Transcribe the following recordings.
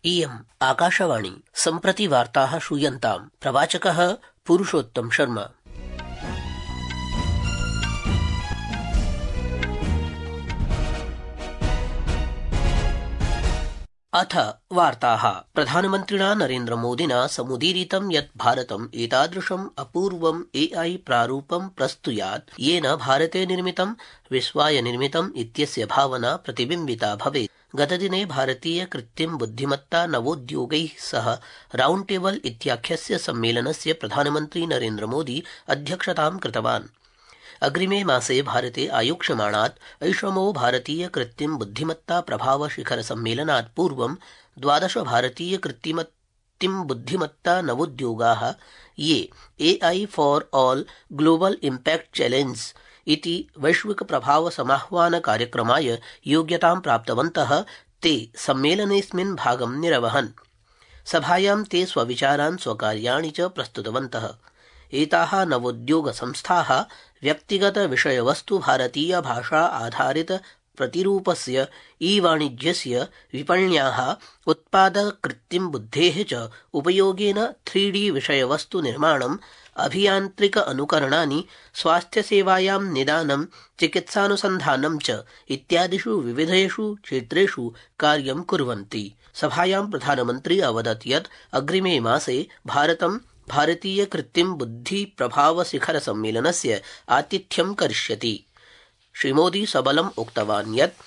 इयम् आकाशवाणी सम्प्रति वार्ताः श्रूयन्ताम्। प्रवाचकः पुरुषोत्तम शर्मा। अथ वार्ताः। प्रधानमन्त्रिणा नरेन्द्रमोदिना समुदीरितं यत् भारतम् एतादृशम् अपूर्वम् AI प्रारूपं प्रस्तुयात् येन भारते निर्मितं विश्वाय निर्मितम् इत्यस्य भावना प्रतिबिम्बिता भवेत्। गतदिने भारतीय कृत्रिम बुद्धिमत्ता नवोद्योगैः सह राउण्ड टेबल इत्याख्यस्य सम्मेलनस्य प्रधानमन्त्री नरेन्द्रमोदी अध्यक्षतां कृतवान्। अग्रिमे मासे भारते आयोक्ष्यमाणात् ऐषमो भारतीय कृत्रिम बुद्धिमत्ता प्रभाव शिखर सम्मेलनात् पूर्वं 12 भारतीय कृत्रिम बुद्धिमत्ता नवोद्योगाः ये AI for all global impact challenge इति वैश्विक प्रभाव समाह्वान कार्यक्रमाय योग्यतां प्राप्तवन्तः ते सम्मेलनेऽस्मिन् भागं निरवहन्। सभायां ते स्वविचारान् स्वकार्याणि च प्रस्तुतवन्तः। एताः नवोद्योग संस्थाः व्यक्तिगत विषयवस्तु भारतीय भाषा आधारित प्रतिरूपस्य ई-वाणिज्यस्य विपण्याः उत्पादक कृत्रिम बुद्धेः च उपयोगेन 3D विषयवस्तु निर्माणम् अभियान्त्रिक अनुकरणानि स्वास्थ्यसेवायां निदानं चिकित्सानुसन्धानं च इत्यादिषु विविधेषु क्षेत्रेषु कार्यं कुर्वन्ति। सभायां प्रधानमन्त्री अवदत् यत् अग्रिमे मासे भारतं भारतीय कृत्रिम बुद्धि प्रभाव शिखर सम्मेलनस्य आतिथ्यं करिष्यति। श्रीमोदी सबलम् उक्तवान् यत्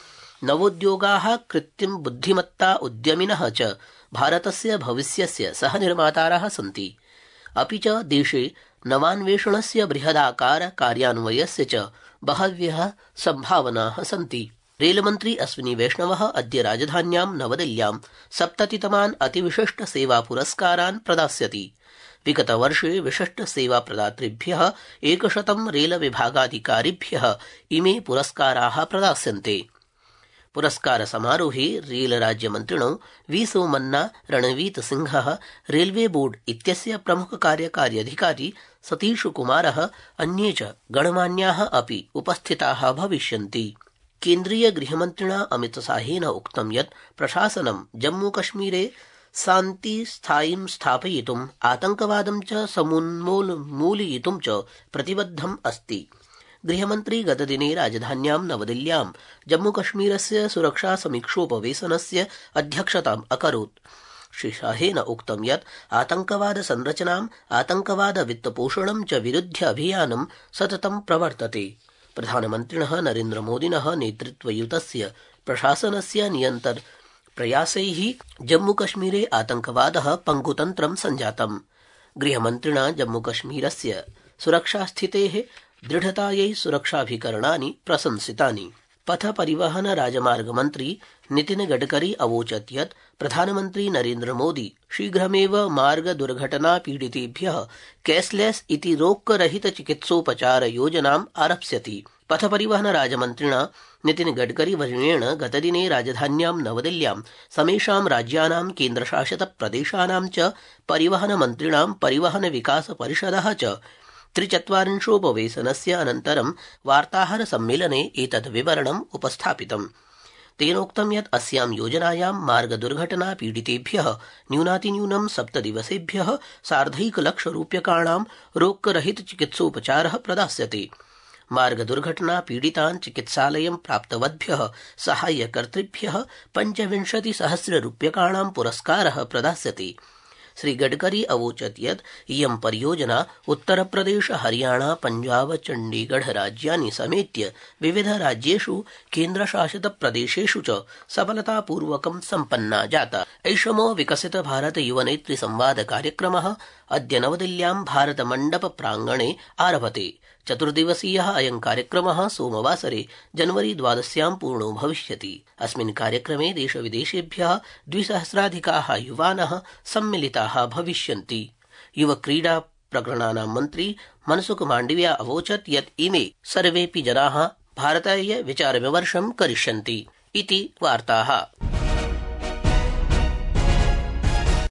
नवोद्योगाः कृत्रिम बुद्धिमत्ता उद्यमिनः च भारतस्य भविष्यस्य सहनिर्मातारः सन्ति। अपि च देशे नवान्वेषणस्य बृहदाकार कार्यान्वयस्य च बहव्यः सम्भावनाः सन्ति। रेलमन्त्री अश्विनी वैष्णवः अद्य राजधान्यां नवदिल्ल्यां 70तमान् अतिविशिष्ट सेवा पुरस्कारान् प्रदास्यति। विगतवर्षे विशिष्ट सेवा प्रदातृभ्यः 100 रेल विभागाधिकारिभ्यः इमे पुरस्काराः प्रदास्यन्ते। पुरस्कार समारोहे रेल राज्यमन्त्रिणो वी सोमन्ना, रणवीत सिंहः, रेलवे बोर्ड इत्यस्य प्रमुख कार्यकारी अधिकारी सतीश कुमारः, अन्ये च गणमान्याः अपि उपस्थिताः भविष्यन्ति। केन्द्रीय गृहमन्त्रिणा अमितशाहेन उक्तं यत् प्रशासनं जम्मूकश्मीरे शान्ति स्थायिं स्थापयितुम् आतंकवादं च समूलयितुं च प्रतिबद्धम् अस्ति। गृहमन्त्री गतदिने राजधान्यां नवदिल्ल्यां जम्मूकश्मीरस्य सुरक्षा समीक्षोपवेशनस्य अध्यक्षताम् अकरोत्। श्रीशाहेन उक्तं यत् आतंकवाद संरचनाम् आतंकवाद वित्तपोषणं च विरुध्य अभियानं सततं प्रवर्तते। प्रधानमन्त्रिणः नरेन्द्रमोदिनः नेतृत्वयुतस्य प्रशासनस्य निरन्तर प्रयासैः जम्मूकश्मीरे आतंकवादः पङ्गुतन्त्रं सञ्जातम्। गृहमन्त्रिणा जम्मूकश्मीरस्य सुरक्षास्थितेः दृढतायै सुरक्षाभिकरणानि प्रशंसितानि। पथ परिवहन राजमार्ग मन्त्री नितिन गडकरी अवोचत् यत् प्रधानमन्त्री नरेन्द्रमोदी शीघ्रमेव मार्ग दुर्घटना पीडितेभ्यः कैशलेस इति रोक्करहित चिकित्सोपचार योजनाम् आरप्स्यति। पथ परिवहन राजमन्त्रिणा नितिन गडकरी वर्येण गतदिने राजधान्यां नवदिल्ल्यां समेषां राज्यानां केन्द्रशासित प्रदेशानां च परिवहन मन्त्रिणां परिवहन विकास परिषदः च 43 अनन्तरं वार्ताहर सम्मेलने एतद् विवरणम् उपस्थापितम्। तेनोक्तं यत् अस्यां योजनायां मार्ग दुर्घटना पीडितेभ्यः न्यूनातिन्यूनं 7 दिवसेभ्यः 1.5 लाख रूप्यकाणां रोक्करहित चिकित्सोपचारः प्रदास्यते। मार्ग दुर्घटना पीडितान् चिकित्सालयं प्राप्तवद्भ्यः साहाय्यकर्तृभ्यः 25,000 रूप्यकाणां पुरस्कारः प्रदास्यते। श्री गडकरी अवोचत् यत् इयं परियोजना उत्तरप्रदेश, हरियाणा, पंजाब, चण्डीगढ़ राज्यानि समेत्य विविध राज्येषु केन्द्रशासित प्रदेशेषु च सफलतापूर्वकं सम्पन्ना जाता। ऐषमो विकसित भारत युवनेत्री संवाद कार्यक्रमः अद्य नवदिल्ल्यां भारत मण्डप प्राङ्गणे आरभते। 4 दिवसीयः अयं कार्यक्रमः सोमवासरे जनवरी 12 पूर्णो भविष्यति। अस्मिन् कार्यक्रमे देशविदेशेभ्यः 2,000 युवानः सम्मिलिताः भविष्यन्ति। युवक्रीडा प्रकरणानां मन्त्री मनसुख माण्डविया अवोचत् यत् इमे सर्वेऽपि जनाः भारताय विचारविमर्शं करिष्यन्ति इति वार्ताः।